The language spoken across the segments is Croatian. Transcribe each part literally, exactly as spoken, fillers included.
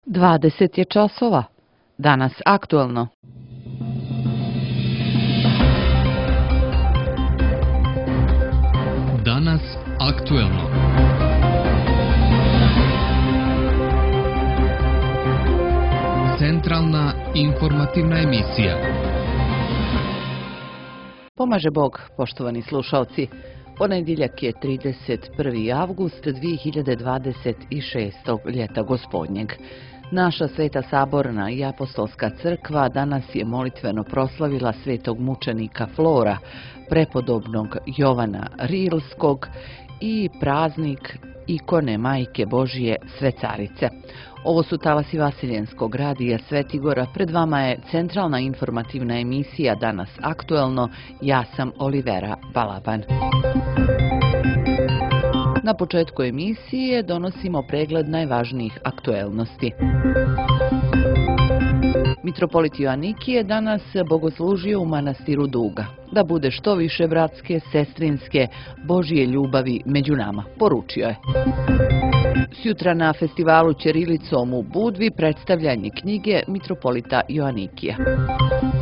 dvadeset je časova. Danas aktuelno. Danas aktuelno. Centralna informativna emisija. Pomaže Bog, poštovani slušalci. Ponedjeljak je trideset prvi avgust dvije hiljade dvadeset šestog ljeta gospodnjeg. Naša Sveta Saborna i Apostolska crkva danas je molitveno proslavila svetog mučenika Flora, prepodobnog Jovana Rilskog i praznik ikone Majke Božije Svecarice. Ovo su talasi Vasiljenskog radija Svetigora. Pred vama je centralna informativna emisija Danas aktuelno. Ja sam Olivera Balaban. Na početku emisije donosimo pregled najvažnijih aktuelnosti. Mitropolit Joanikije danas bogoslužio u manastiru Duga. Da bude što više bratske, sestrinske, Božje ljubavi među nama, poručio je. Sjutra na festivalu Ćirilicom u Budvi predstavljanje knjige Mitropolita Joanikija.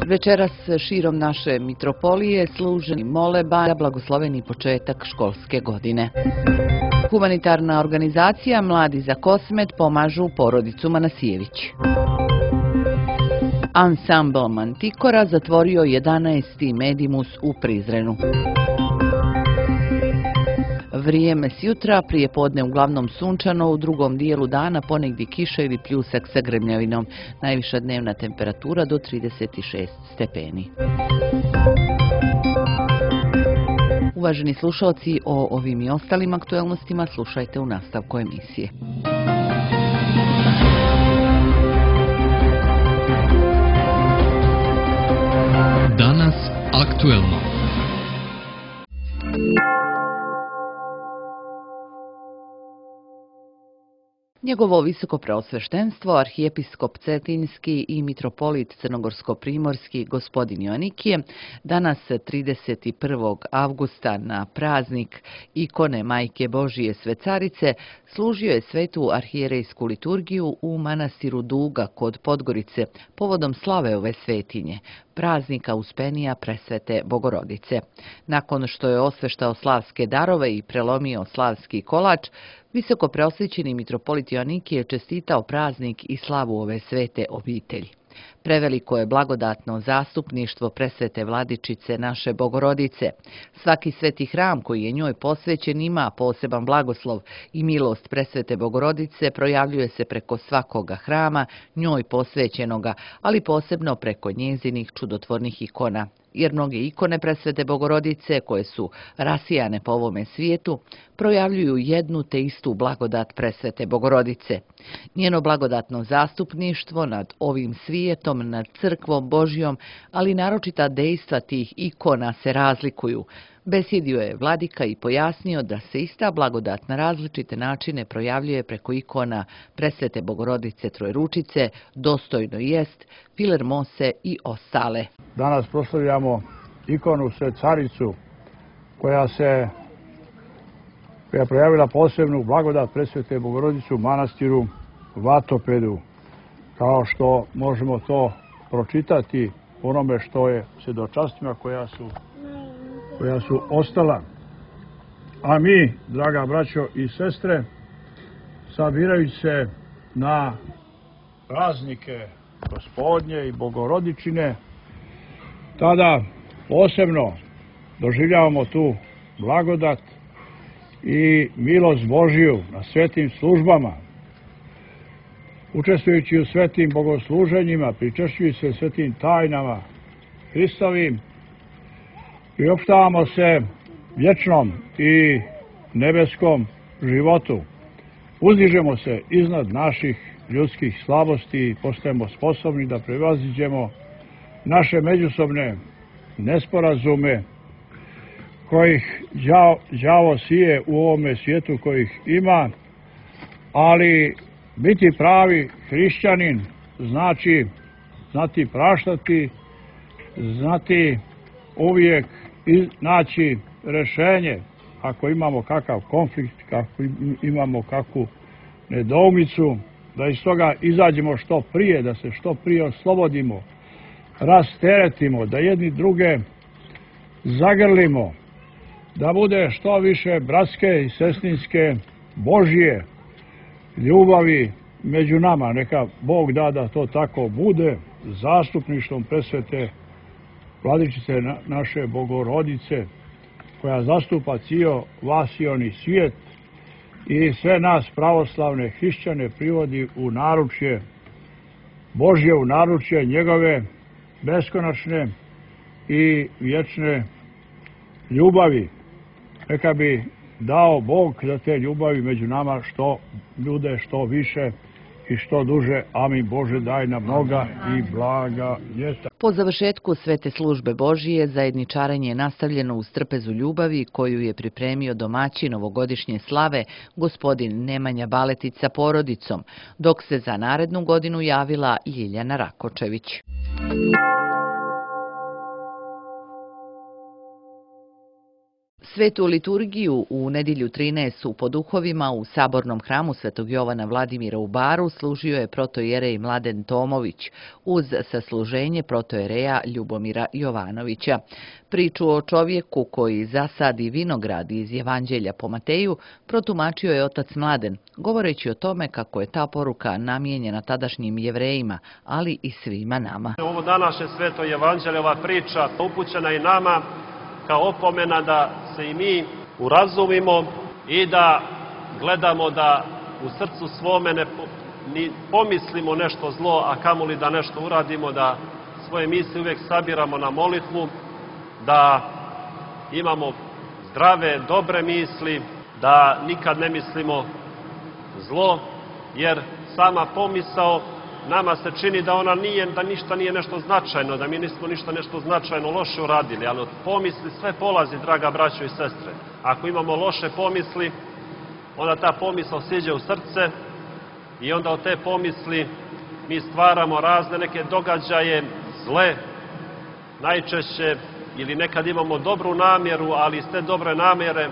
Večeras širom naše mitropolije služeni moleba za blagosloveni početak školske godine. Humanitarna organizacija Mladi za Kosmet pomažu porodicu Manasijević. Ansambl Mantikora zatvorio jedanaesti Medimus u Prizrenu. Vrijeme sjutra, prije podne uglavnom sunčano, u drugom dijelu dana ponegdje kiša ili pljusak sa grmljavinom. Najviša dnevna temperatura do trideset šest stepeni. Uvaženi slušalci, o ovim i ostalim aktuelnostima slušajte u nastavku emisije. Danas aktuelno. Njegovo visoko preosveštenstvo, arhijepiskop Cetinjski i mitropolit Crnogorsko-primorski gospodin Joanikije, danas trideset prvog avgusta na praznik ikone Majke Božije Svecarice služio je svetu arhijerejsku liturgiju u manastiru Duga kod Podgorice povodom slave ove svetinje, praznika Uspenija Presvete Bogorodice. Nakon što je osveštao slavske darove i prelomio slavski kolač, visoko preosvećeni mitropolit Joanikije je čestitao praznik i slavu ove svete obitelji. Preveliko je blagodatno zastupništvo presvete vladičice naše Bogorodice. Svaki sveti hram koji je njoj posvećen ima poseban blagoslov i milost presvete Bogorodice projavljuje se preko svakoga hrama njoj posvećenoga, ali posebno preko njezinih čudotvornih ikona. Jer mnoge ikone presvete Bogorodice, koje su rasijane po ovome svijetu, projavljuju jednu te istu blagodat presvete Bogorodice. Njeno blagodatno zastupništvo nad ovim svijetom, nad crkvom Božjom, ali naročita dejstva tih ikona se razlikuju. Besjedio je vladika i pojasnio da se ista blagodat na različite načine projavljuje preko ikona presvete Bogorodice Trojručice, Dostojno jest, Filer Mose i ostale. Danas proslavljamo ikonu Svecaricu koja se koja je projavila posebnu blagodat presvete Bogorodice u manastiru Vatopedu, kao što možemo to pročitati onome što je svjedočanstvima koja su koja su ostala. A mi, draga braćo i sestre, sabirajući se na praznike Gospodnje i Bogorodičine, tada posebno doživljavamo tu blagodat i milost Božju na svetim službama. Učestvujući u svetim bogosluženjima, pričešćujući se svetim tajnama Hristovim, priopštavamo se vječnom i nebeskom životu. Uzdižemo se iznad naših ljudskih slabosti i postajemo sposobni da prevaziđemo naše međusobne nesporazume kojih đavo sije u ovome svijetu, kojih ima, ali biti pravi hrišćanin znači znati praštati, znati uvijek naći rješenje ako imamo kakav konflikt, kako imamo kakvu nedoumicu, da iz toga izađemo što prije, da se što prije oslobodimo, rasteretimo, da jedni druge zagrlimo, da bude što više bratske i sestrinske Božje ljubavi među nama. Neka Bog da da to tako bude, zastupništvom presvete Vladičice naše Bogorodice, koja zastupa cijel vasioni svijet i sve nas pravoslavne hrišćane privodi u naručje Božje, u naručje njegove beskonačne i vječne ljubavi. Neka bi dao Bog da te ljubavi među nama što ljude što više i što duže. Amin. Bože, daj nam mnoga i blaga ljeta. Po završetku svete službe Božije, zajedničarenje je nastavljeno uz trpezu ljubavi koju je pripremio domaćin ovogodišnje slave, gospodin Nemanja Baletić sa porodicom, dok se za narednu godinu javila Ljiljana Rakočević. Svetu liturgiju u nedjelju trinaestu po duhovima u sabornom hramu Svetog Jovana Vladimira u Baru služio je protojerej Mladen Tomović uz sasluženje protojereja Ljubomira Jovanovića. Priču o čovjeku koji zasadi vinograd iz Evanđelja po Mateju protumačio je otac Mladen, govoreći o tome kako je ta poruka namijenjena tadašnjim Jevrejima, ali i svima nama. Ovo današnje sveto Evanđelje, ova priča upućena i nama kao opomena da se i mi urazumimo i da gledamo da u srcu svome ne ni pomislimo nešto zlo, a kamoli da nešto uradimo, da svoje misli uvijek sabiramo na molitvu, da imamo zdrave, dobre misli, da nikad ne mislimo zlo, jer sama pomisao nama se čini da ona nije, da ništa nije nešto značajno, da mi nismo ništa nešto značajno loše uradili, ali od pomisli sve polazi, draga braćo i sestre. Ako imamo loše pomisli, onda ta pomisao siđe u srce i onda od te pomisli mi stvaramo razne neke događaje zle, najčešće, ili nekad imamo dobru namjeru, ali iz te dobre namjere,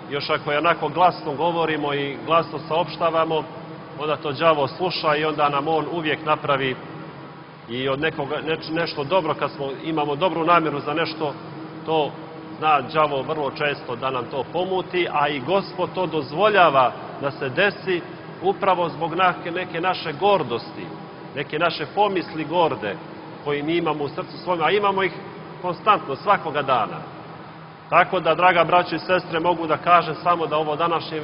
još ako je onako glasno govorimo i glasno saopštavamo, onda to đavo sluša i onda nam on uvijek napravi i od nekoga neč, nešto dobro, kad smo, imamo dobru namjeru za nešto, to zna đavo vrlo često da nam to pomuti, a i Gospod to dozvoljava da se desi upravo zbog neke naše gordosti, neke naše pomisli gorde koje mi imamo u srcu svojom, a imamo ih konstantno, svakoga dana. Tako da, draga braćo i sestre, mogu da kažem samo da ovo današnje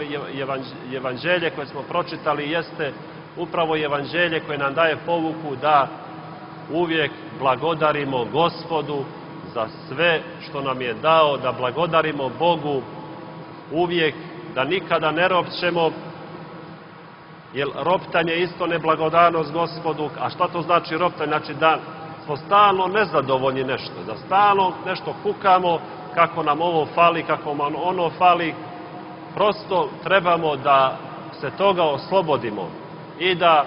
evanđelje koje smo pročitali jeste upravo evanđelje koje nam daje povuku da uvijek blagodarimo Gospodu za sve što nam je dao, da blagodarimo Bogu uvijek, da nikada ne ropćemo, jer roptanje je isto neblagodarnost Gospodu. A šta to znači roptanje? Znači da smo stalno nezadovoljni nešto, da stalno nešto kukamo, kako nam ovo fali, kako nam ono fali. Prosto trebamo da se toga oslobodimo i da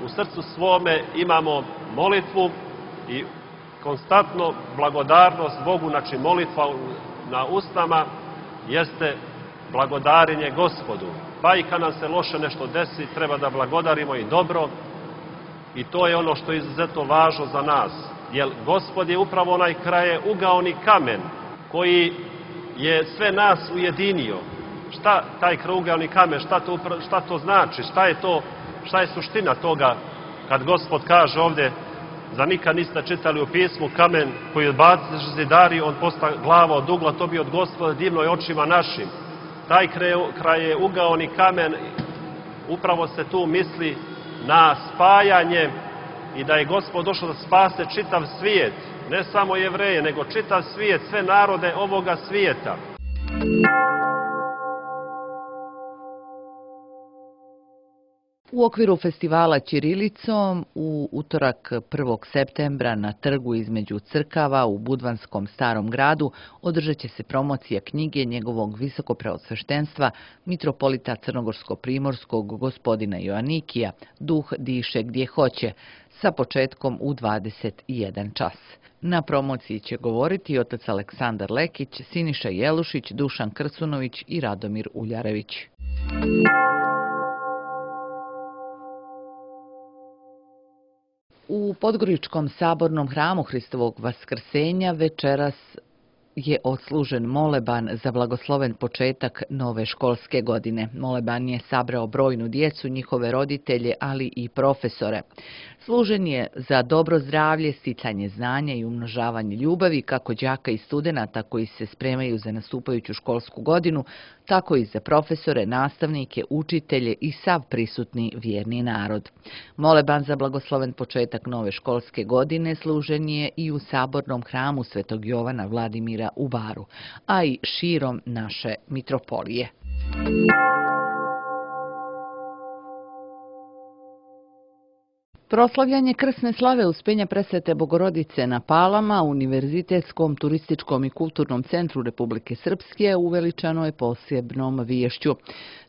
u srcu svome imamo molitvu i konstantno blagodarnost Bogu. Znači molitva na usnama jeste blagodarenje Gospodu. Pa i kad nam se loše nešto desi, treba da blagodarimo i dobro. I to je ono što je izuzetno važno za nas. Jer Gospod je upravo onaj kraje ugaoni kamen koji je sve nas ujedinio. Šta taj kraugaoni kamen, šta to, šta to znači, šta je to, šta je suština toga kad Gospod kaže ovdje, za nikad niste čitali u pismu, kamen koji odbaci zidari, on posta glava od ugla, to bi od Gospoda divno i očima našim. Taj kraj je ugaoni kamen, upravo se tu misli na spajanje i da je Gospod došao da spase čitav svijet, ne samo Jevreje, nego čitav svijet, sve narode ovoga svijeta. U okviru festivala Ćirilicom u utorak prvog septembra na trgu između crkava u Budvanskom Starom gradu održat će se promocija knjige njegovog visokopreosveštenstva mitropolita Crnogorsko-primorskog gospodina Joanikija Duh diše gdje hoće, sa početkom u dvadeset jedan čas. Na promociji će govoriti otac Aleksandar Lekić, Siniša Jelušić, Dušan Krsunović i Radomir Uljarević. U Podgoričkom sabornom hramu Hristovog Vaskrsenja večeras je odslužen moleban za blagosloven početak nove školske godine. Moleban je sabrao brojnu djecu, njihove roditelje, ali i profesore. Služen je za dobro zdravlje, sticanje znanja i umnožavanje ljubavi kako đaka i studenata koji se spremaju za nastupajuću školsku godinu, tako i za profesore, nastavnike, učitelje i sav prisutni vjerni narod. Moleban za blagosloven početak nove školske godine služen je i u sabornom hramu Svetog Jovana Vladimira u Baru, a i širom naše mitropolije. Proslavljanje krsne slave Uspenja Presvete Bogorodice na Palama, Univerzitetskom turističkom i kulturnom centru Republike Srpske, uveličano je posebnom viješću.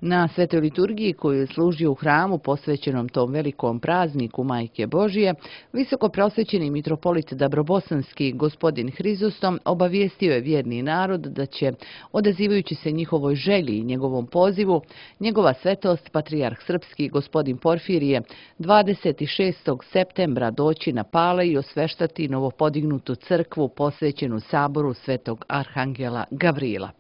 Na svetoj liturgiji koju je služio u hramu posvećenom tom velikom prazniku Majke Božije, visoko prosvećeni mitropolit Dabrobosanski gospodin Hrizostom obavijestio je vjerni narod da će, odazivajući se njihovoj želji i njegovom pozivu, njegova svetost patrijarh srpski gospodin Porfirije dvadeset šestog septembra doći na Pale i osveštati novopodignutu crkvu posvećenu saboru Svetog Arhangela Gavrila.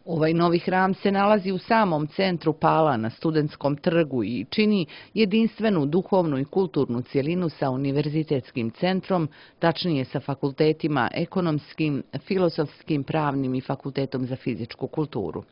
Ovaj novi hram se nalazi u samom centru Pala na Studentskom trgu i čini jedinstvenu duhovnu i kulturnu cjelinu sa univerzitetskim centrom, tačnije sa fakultetima ekonomskim, filozofskim, pravnim i fakultetom za fizičku kulturu.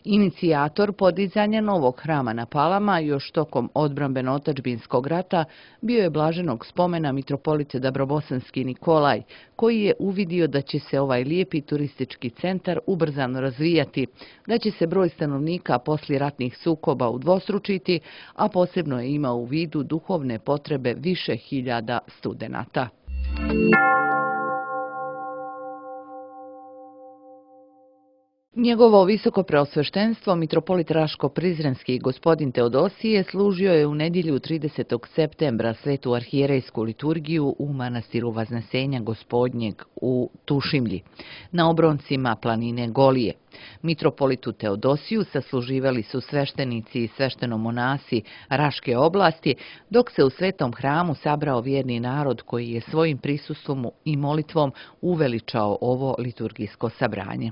Inicijator podizanja novog hrama na Palama još tokom odbrambeno-otadžbinskog rata bio je blaženog spomena mitropolit Dabrobosanski Nikolaj, koji je uvidio da će se ovaj lijepi turistički centar ubrzano razvijati, da će se broj stanovnika poslije ratnih sukoba udvostručiti, a posebno je imao u vidu duhovne potrebe više hiljada studenata. Njegovo visoko preosveštenstvo, mitropolit Raško-Prizrenski gospodin Teodosije, služio je u nedjelju tridesetog septembra svetu arhijerejsku liturgiju u manastiru Vaznesenja Gospodnjeg u Tušimlji, na obroncima planine Golije. Mitropolitu Teodosiju sasluživali su sveštenici i sveštenomonasi Raške oblasti, dok se u svetom hramu sabrao vjerni narod koji je svojim prisustvom i molitvom uveličao ovo liturgijsko sabranje.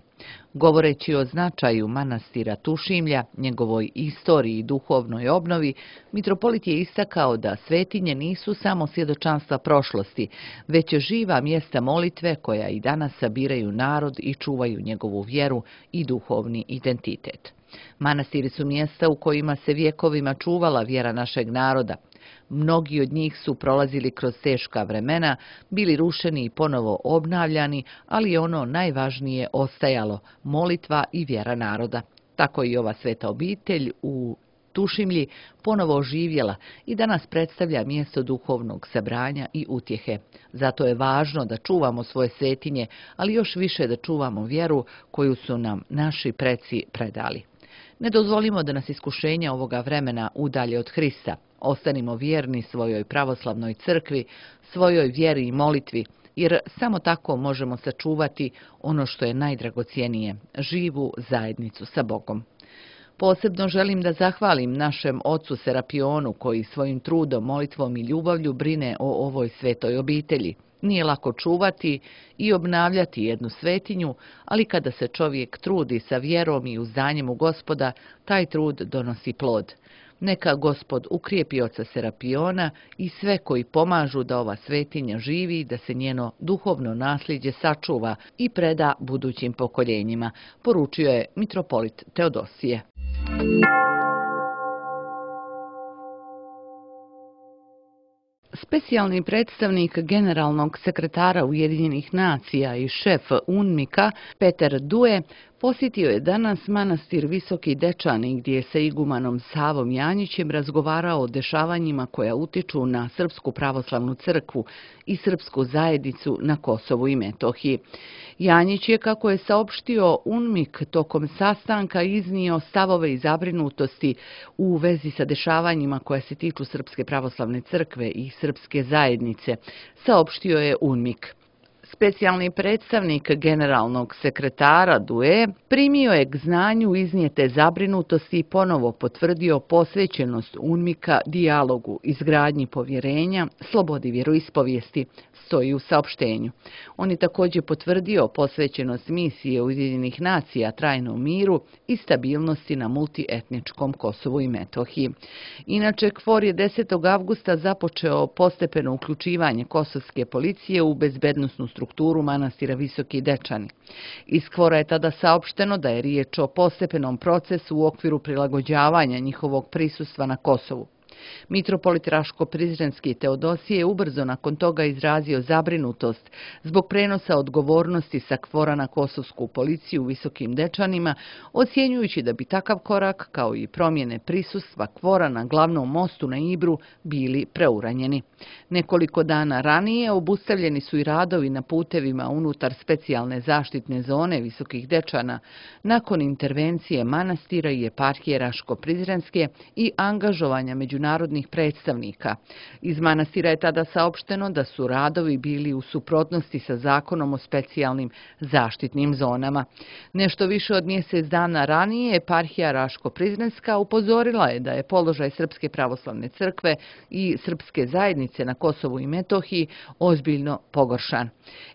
Govoreći o značaju manastira Tušimlja, njegovoj istoriji i duhovnoj obnovi, mitropolit je istakao da svetinje nisu samo svjedočanstva prošlosti, već živa mjesta molitve koja i danas sabiraju narod i čuvaju njegovu vjeru i duhovni identitet. Manastiri su mjesta u kojima se vjekovima čuvala vjera našeg naroda. Mnogi od njih su prolazili kroz teška vremena, bili rušeni i ponovo obnavljani, ali je ono najvažnije ostajalo, molitva i vjera naroda. Tako i ova sveta obitelj u Tušimlji ponovo oživjela i danas predstavlja mjesto duhovnog sabranja i utjehe. Zato je važno da čuvamo svoje svetinje, ali još više da čuvamo vjeru koju su nam naši preci predali. Ne dozvolimo da nas iskušenja ovoga vremena udalje od Hrista. Ostanimo vjerni svojoj pravoslavnoj crkvi, svojoj vjeri i molitvi, jer samo tako možemo sačuvati ono što je najdragocjenije, živu zajednicu sa Bogom. Posebno želim da zahvalim našem ocu Serapionu koji svojim trudom, molitvom i ljubavlju brine o ovoj svetoj obitelji. Nije lako čuvati i obnavljati jednu svetinju, ali kada se čovjek trudi sa vjerom i uzdanjem u Gospoda, taj trud donosi plod. Neka Gospod ukrijepi oca Serapiona i sve koji pomažu da ova svetinja živi, da se njeno duhovno nasljeđe sačuva i preda budućim pokoljenjima, poručio je mitropolit Teodosije. Specijalni predstavnik generalnog sekretara Ujedinjenih nacija i šef UNMIK-a Peter Due posjetio je danas manastir Visoki Dečani gdje je sa igumanom Savom Janjićem razgovarao o dešavanjima koja utiču na Srpsku pravoslavnu crkvu i srpsku zajednicu na Kosovu i Metohiji. Janjić je, kako je saopštio UNMIK, tokom sastanka iznio stavove i zabrinutosti u vezi sa dešavanjima koja se tiču Srpske pravoslavne crkve i srpske zajednice, saopštio je UNMIK. Specijalni predstavnik generalnog sekretara D U E primio je k znanju iznijete zabrinutosti i ponovo potvrdio posvećenost UNMIK-a dijalogu, izgradnji povjerenja, slobodi vjeroispovijesti, stoji u saopštenju. On je također potvrdio posvećenost misije Ujedinjenih nacija trajnom miru i stabilnosti na multietničkom Kosovu i Metohiji. Inače, K F O R je desetog avgusta započeo postepeno uključivanje kosovske policije u bezbednosnu strukturu manastira Visoki Dečani. Iz K F O R-a je tada saopšteno da je riječ o postepenom procesu u okviru prilagođavanja njihovog prisustva na Kosovu. Mitropolit Raško-Prizrenski Teodosije je ubrzo nakon toga izrazio zabrinutost zbog prenosa odgovornosti sa K F O R-a na kosovsku policiju u Visokim Dečanima, ocjenjujući da bi takav korak, kao i promjene prisustva K F O R-a na glavnom mostu na Ibru, bili preuranjeni. Nekoliko dana ranije obustavljeni su i radovi na putevima unutar specijalne zaštitne zone Visokih Dečana nakon intervencije manastira i eparhije Raško-Prizrenske i angažovanja međunarodnih narodnih predstavnika. Iz manastira je tada saopšteno da su radovi bili u suprotnosti sa zakonom o specijalnim zaštitnim zonama. Nešto više od mjesec dana ranije eparhija Raško-Prizrenska upozorila je da je položaj Srpske pravoslavne crkve i srpske zajednice na Kosovu i Metohiji ozbiljno pogoršan.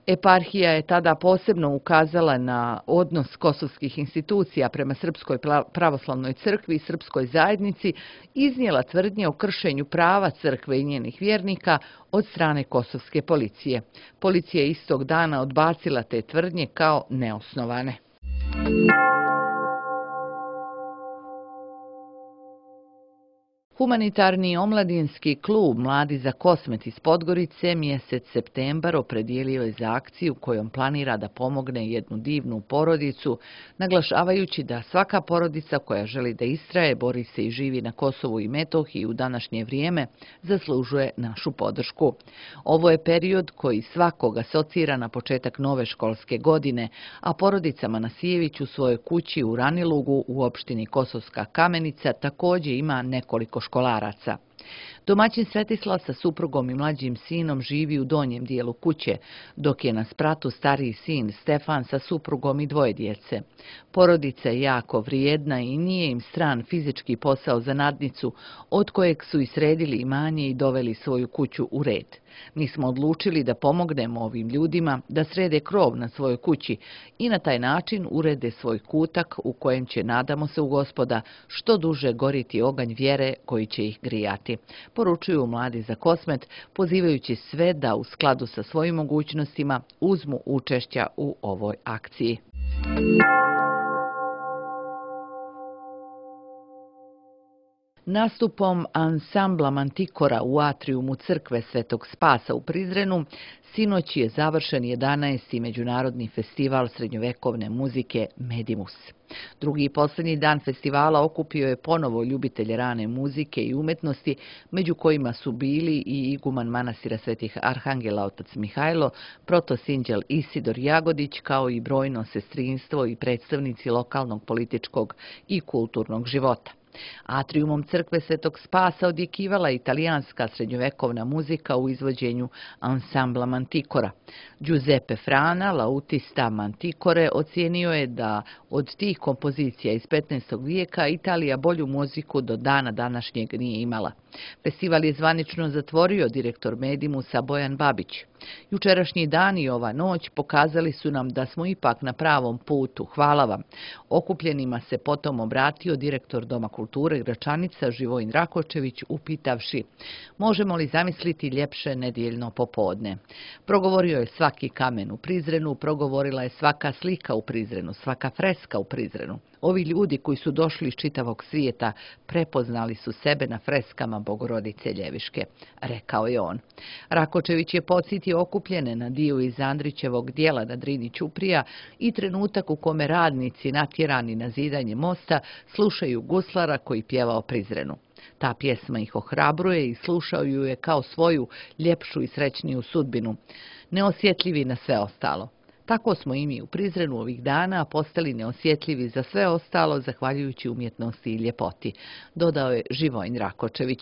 Eparhija je tada posebno ukazala na odnos kosovskih institucija prema Srpskoj pravoslavnoj crkvi i srpskoj zajednici, iznijela tvrdnje o kršenju prava crkve i njenih vjernika od strane kosovske policije. Policija je istog dana odbacila te tvrdnje kao neosnovane. Humanitarni omladinski klub Mladi za Kosmet iz Podgorice mjesec septembar opredijelio je za akciju kojom planira da pomogne jednu divnu porodicu, naglašavajući da svaka porodica koja želi da istraje, bori se i živi na Kosovu i Metohiji u današnje vrijeme, zaslužuje našu podršku. Ovo je period koji svakoga asocira na početak nove školske godine, a porodica Manasijević u svojoj kući u Ranilugu u opštini Kosovska Kamenica također ima nekoliko školaraca. Domaćin Svetislav sa suprugom i mlađim sinom živi u donjem dijelu kuće, dok je na spratu stariji sin Stefan sa suprugom i dvoje djece. Porodica je jako vrijedna i nije im stran fizički posao za nadnicu, od kojeg su i sredili imanje i doveli svoju kuću u red. Mi smo odlučili da pomognemo ovim ljudima da srede krov na svojoj kući i na taj način urede svoj kutak u kojem će, nadamo se u Gospoda, što duže goriti oganj vjere koji će ih grijati. Poručuju Mladi za Kosmet, pozivajući sve da u skladu sa svojim mogućnostima uzmu učešća u ovoj akciji. Nastupom ansambla Mantikora u atrijumu crkve Svetog Spasa u Prizrenu sinoć je završen jedanaesti međunarodni festival srednjovekovne muzike Medimus. Drugi i posljednji dan festivala okupio je ponovo ljubitelje rane muzike i umetnosti, među kojima su bili i iguman manastira Svetih Arhangela otac Mihajlo, protosinđel Isidor Jagodić, kao i brojno sestrinstvo i predstavnici lokalnog političkog i kulturnog života. Atrijumom crkve Svetog Spasa odjekivala italijanska srednjovekovna muzika u izvođenju ansambla Mantikora. Giuseppe Frana, lautista Mantikore, ocijenio je da od tih kompozicija iz petnaestog vijeka Italija bolju muziku do dana današnjeg nije imala. Festival je zvanično zatvorio direktor Medimusa Bojan Babić. Jučerašnji dan i ova noć pokazali su nam da smo ipak na pravom putu. Hvala vam. Okupljenima se potom obratio direktor Doma kulture Gračanica Živojin Rakočević, upitavši: možemo li zamisliti ljepše nedjeljno popodne? Progovorio je svaki kamen u Prizrenu, progovorila je svaka slika u Prizrenu, svaka freska u Prizrenu. Ovi ljudi koji su došli iz čitavog svijeta prepoznali su sebe na freskama Bogorodice Ljeviške, rekao je on. Rakočević je podsjetio okupljene na dio iz Andrićevog dijela na Drini Ćuprija i trenutak u kome radnici natjerani na zidanje mosta slušaju guslara koji pjeva o Prizrenu. Ta pjesma ih ohrabruje i slušaju je kao svoju ljepšu i srećniju sudbinu, neosjetljivi na sve ostalo. Tako smo i mi u Prizrenu ovih dana postali neosjetljivi za sve ostalo zahvaljujući umjetnosti i ljepoti, dodao je Živojin Rakočević.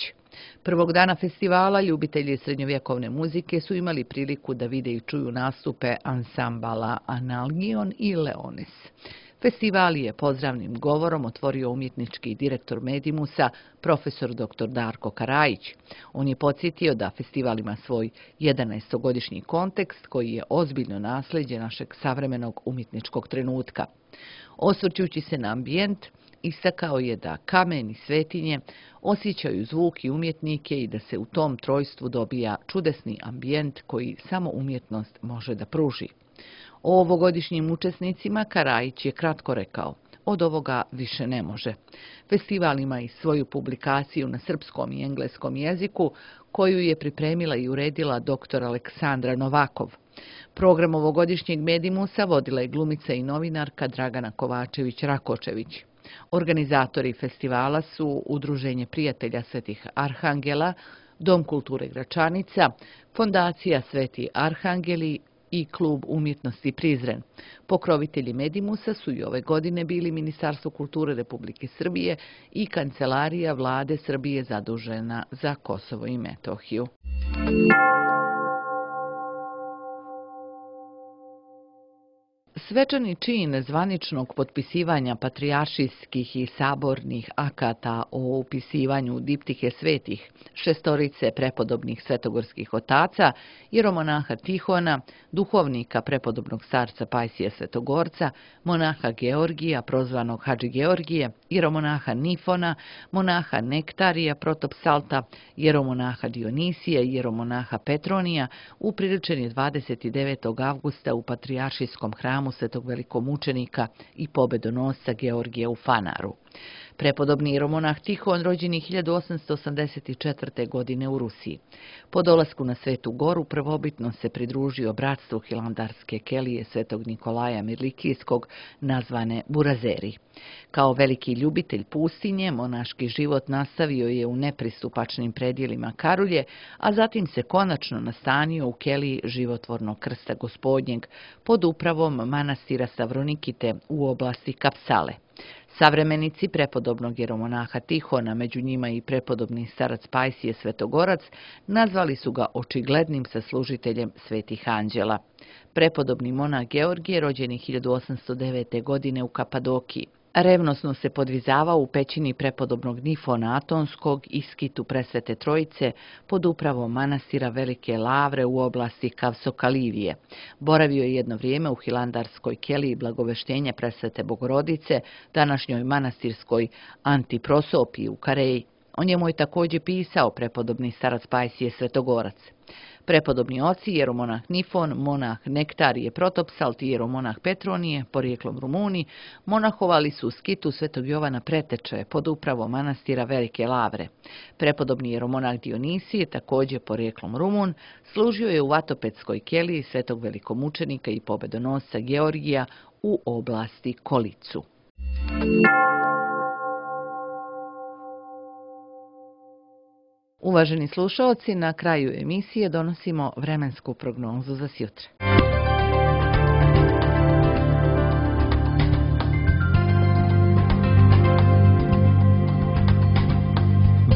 Prvog dana festivala ljubitelji srednjovjekovne muzike su imali priliku da vide i čuju nastupe ansambala Analgion i Leonis. Festival je pozdravnim govorom otvorio umjetnički direktor Medimusa, profesor doktor Darko Karajić. On je podsjetio da festival ima svoj jedanaestogodišnji kontekst koji je ozbiljno nasljeđe našeg savremenog umjetničkog trenutka. Osvrćući se na ambijent, istakao je da kamen i svetinje osjećaju zvuk i umjetnike i da se u tom trojstvu dobija čudesni ambijent koji samo umjetnost može da pruži. O ovogodišnjim učesnicima Karajić je kratko rekao: od ovoga više ne može. Festival ima i svoju publikaciju na srpskom i engleskom jeziku koju je pripremila i uredila doktor Aleksandra Novakov. Program ovogodišnjeg Medimusa vodila je glumica i novinarka Dragana Kovačević-Rakočević. Organizatori festivala su Udruženje prijatelja Svetih Arhangela, Dom kulture Gračanica, Fondacija Sveti Arhangeli i Klub umjetnosti Prizren. Pokrovitelji Medimusa su i ove godine bili Ministarstvo kulture Republike Srbije i Kancelarija Vlade Srbije zadužena za Kosovo i Metohiju. Svečani čin zvaničnog potpisivanja patrijaršijskih i sabornih akata o upisivanju diptihe svetih šestorice prepodobnih svetogorskih otaca, jeromonaha Tihona, duhovnika prepodobnog starca Pajsija Svetogorca, monaha Georgija, prozvanog Hadži Georgije, jeromonaha Nifona, monaha Nektarija, protopsalta, jeromonaha Dionisija i jeromonaha Petronija, upriličen je dvadeset devetog avgusta u patrijaršijskom hramu Svetog velikomučenika i pobedonosca Georgija u Fanaru. Prepodobni jeromonah Tihon rođen je hiljadu osamsto osamdeset četvrte. godine u Rusiji. Po dolasku na Svetu Goru prvobitno se pridružio bratstvu hilandarske kelije Svetog Nikolaja Mirlikijskog, nazvane Burazeri. Kao veliki ljubitelj pustinje, monaški život nastavio je u nepristupačnim predjelima Karulje, a zatim se konačno nastanio u keliji životvornog krsta Gospodnjeg pod upravom manastira Savronikite u oblasti Kapsale. Savremenici prepodobnog jeromonaha Tihona, među njima i prepodobni starac Pajsije Svetogorac, nazvali su ga očiglednim saslužiteljem svetih anđela. Prepodobni monah Georgije rođen je hiljadu osamsto devete. godine u Kapadokiji. Revnosno se podvizavao u pećini prepodobnog Nifona Atonskog i skitu Presvete Trojice pod upravom manastira Velike Lavre u oblasti Kavsokalivije. Boravio je jedno vrijeme u hilandarskoj keliji Blagoveštenja Presvete Bogorodice, današnjoj manastirskoj Antiprosopiji u Kareji. O njemu je također pisao prepodobni starac Pajsije Svetogorac. Prepodobni oci, jeromonah Nifon, monah Nektarije Protopsalt i jeromonah Petronije, porijeklom Rumuni, monahovali su u skitu Svetog Jovana Preteče pod upravom manastira Velike Lavre. Prepodobni jeromonah Dionisije, također porijeklom Rumun, služio je u Vatopedskoj keliji Svetog velikomučenika i pobedonosca Georgija u oblasti Kolicu. Uvaženi slušaoci, na kraju emisije donosimo vremensku prognozu za sjutra.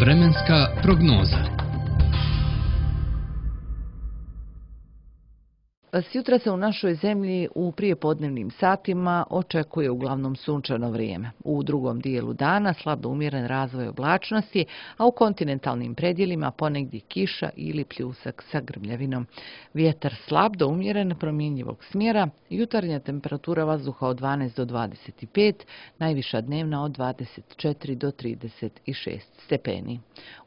Vremenska prognoza. Sjutra se u našoj zemlji u prijepodnevnim satima očekuje uglavnom sunčano vrijeme. U drugom dijelu dana slab do umjeren razvoj oblačnosti, a u kontinentalnim predjelima ponegdje kiša ili pljusak sa grmljavinom. Vjetar slab do umjeren promjenjivog smjera, jutarnja temperatura vazduha od dvanaest do dvadeset pet, najviša dnevna od dvadeset četiri do trideset šest stepeni.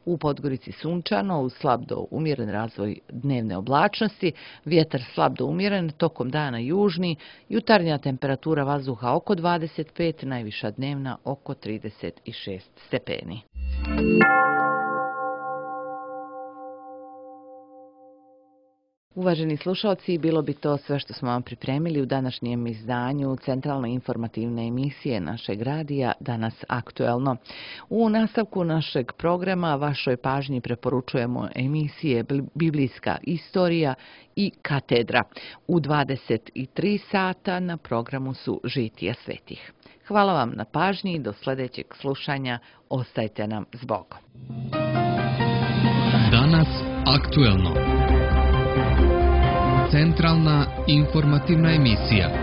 U Podgorici sunčano, uz slab do umjeren razvoj dnevne oblačnosti, vjetar slab do umjeren, tokom dana južni, jutarnja temperatura vazduha oko dvadeset pet, najviša dnevna oko trideset šest stepeni. Uvaženi slušalci, bilo bi to sve što smo vam pripremili u današnjem izdanju centralne informativne emisije našeg radija Danas aktuelno. U nastavku našeg programa vašoj pažnji preporučujemo emisije Biblijska istorija i Katedra. U dvadeset tri sata na programu su Žitija svetih. Hvala vam na pažnji i do sljedećeg slušanja. Ostajte nam s Bogom. Aktuelno. Centralna informativna emisija.